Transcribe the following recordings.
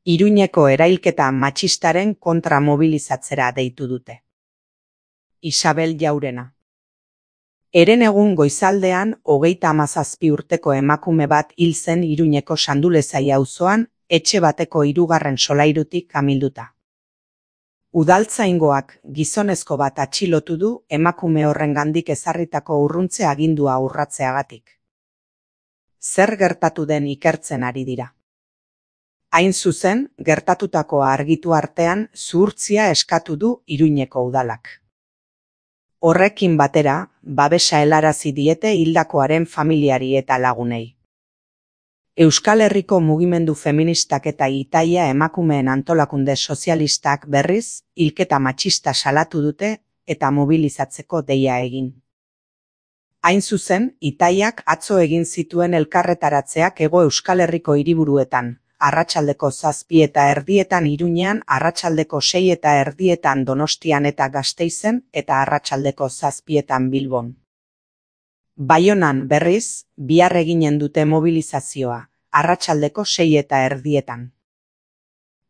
Iruñeko erailketa matxistaren kontra mobilizatzera deitu dute. Isabel Jaurena. Herenegun goizaldean 37 urteko emakume bat hil zen Iruñeko Sandulezai auzoan, etxe bateko 3. solairutik amilduta. Udaltzaingoak gizonezko bat atxilotu du emakume horrengandik ezarritako urruntze agindua urratzeagatik. Zer gertatu den ikertzen ari dira. Hain zuzen, gertatutakoa argitu artean zuhurtzia eskatu du Iruñeko udalak. Horrekin batera, babesa helarazi diete hildakoaren familiari eta lagunei. Euskal Herriko mugimendu feministak eta Itaia emakumeen antolakunde sozialistak berriz, hilketa matxista salatu dute eta mobilizatzeko deia egin. Hain zuzen, Itaiak atzo egin zituen elkarretaratzeak Hego Euskal Herriko hiriburuetan, arratsaldeko 7:30 Iruñean, arratsaldeko 6:30 Donostian eta Gasteizen eta arratsaldeko 7:00 Bilbon. Baionan berriz, bihar eginen dute mobilizazioa, arratsaldeko 6:30.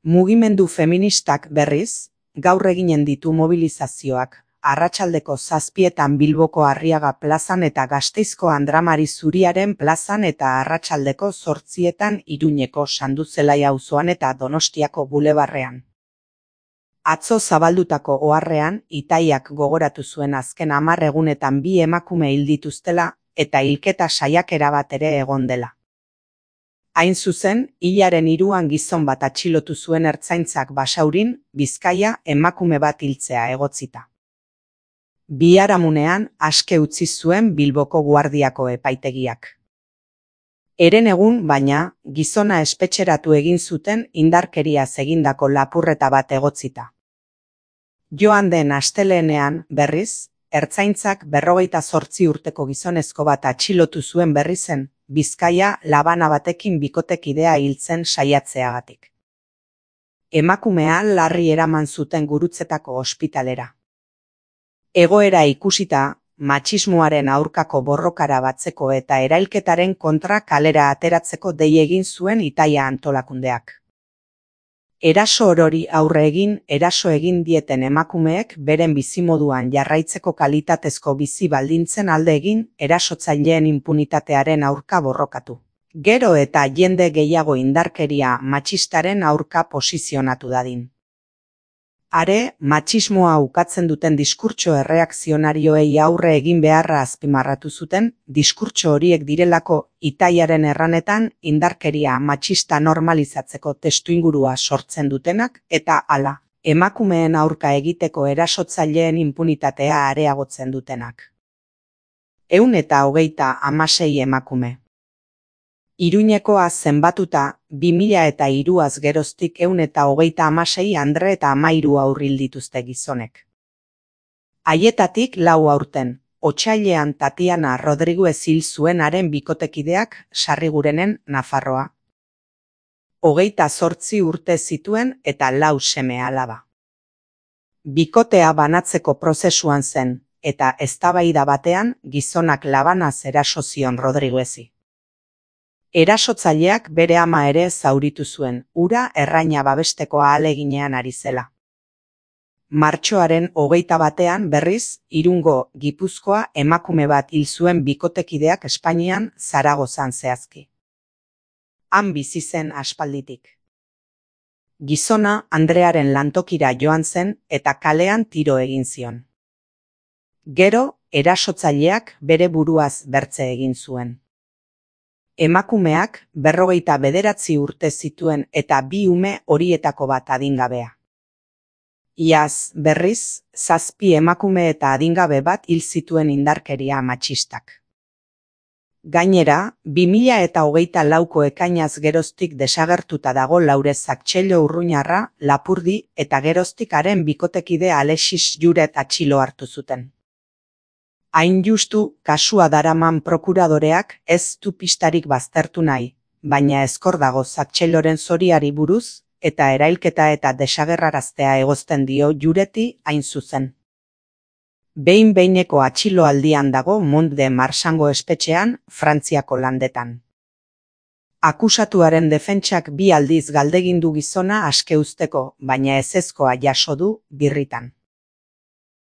Mugimendu feministak berriz, gaur eginen ditu mobilizazioak, arratsaldeko 7:00 Bilboko Arriaga plazan eta Gasteizko Andramari Zuriaren plazan eta arratsaldeko 8:00 Iruñeko Sanduzelai auzoan eta Donostiako bulebarrean. Atzo zabaldutako oharrean, Itaiak gogoratu zuen azken 10 egunetan 2 emakume hil dituztela eta hilketa saiakera bat ere egon dela. Hain zuzen, hilaren 3 gizon bat atxilotu zuen Ertzaintzak Basaurin, Bizkaia, emakume bat hiltzea egotzita. Biharamunean aske utzi zuen Bilboko Guardiako epaitegiak. Herenegun, baina, gizona espetxeratu egin zuten indarkeriaz egindako lapurreta bat egotzita. Joan den astelehenean, berriz, Ertzaintzak 58 urteko gizonezko bat atxilotu zuen berrizen, Bizkaia labana batekin bikotekidea hiltzen saiatzeagatik. Emakumea larri eraman zuten Gurutzetako ospitalera. Egoera ikusita, matxismoaren aurkako borrokara batzeko eta erailketaren kontra kalera ateratzeko dei egin zuen Itaia antolakundeak. Eraso orori aurre egin, eraso egin dieten emakumeek beren bizimoduan jarraitzeko kalitatezko bizi baldintzen alde egin, erasotzaileen impunitatearen aurka borrokatu. Gero eta jende gehiago indarkeria matxistaren aurka posizionatu dadin. Are, matxismoa ukatzen duten diskurtso erreakzionarioei aurre egin beharra azpimarratu zuten, diskurtso horiek direlako Itaiaren erranetan indarkeria matxista normalizatzeko testuingurua sortzen dutenak eta hala, emakumeen aurka egiteko erasotzaileen impunitatea areagotzen dutenak. 126 emakume. Iruñekoa zenbatuta, 2003az geroztik 136 andre eta 13 haur hil dituzte gizonek. Haietatik 4 aurten, otsailean Tatiana Rodriguez hil zuenaren bikotekideak Sarrigurenen, Nafarroa. 28 urte zituen eta 4 seme-alaba. Bikotea banatzeko prozesuan zen, eta eztabaida batean gizonak labanaz eraso zion Rodriguezi. Erasotzaileak bere ama ere zauritu zuen, hura erraina babesteko ahaleginean ari zela. Martxoaren 21 berriz, Irungo, Gipuzkoa emakume bat hil zuen bikotekideak Espainian, Zaragozan zehazki. Han bizi zen aspalditik. Gizona Andrearen lantokira joan zen eta kalean tiro egin zion. Gero, erasotzaileak bere buruaz bertze egin zuen. Emakumeak 59 urte zituen eta 2 ume horietako bat adingabea. Iaz, berriz, 7 emakume eta adingabe bat hil zituen indarkeria matxistak. Gainera, 2024ko ekainaz geroztik desagertuta dago Laurez Aktselo Urruñarra, Lapurdi eta geroztik haren bikotekide Alexis Juret atxilo hartu zuten. Hain justu, kasua daraman prokuradoreak ez du pistarik baztertu nahi, baina ezkor dago Aktseloren zoriari buruz, eta erailketa eta desagerraraztea egozten dio Jureti hain zuzen. Behin-behineko atxiloaldian dago Mont de Marsango espetxean, Frantziako landetan. Akusatuaren defentsak 2 aldiz galdegin du gizona aske uzteko, baina ezezkoa jaso du birritan.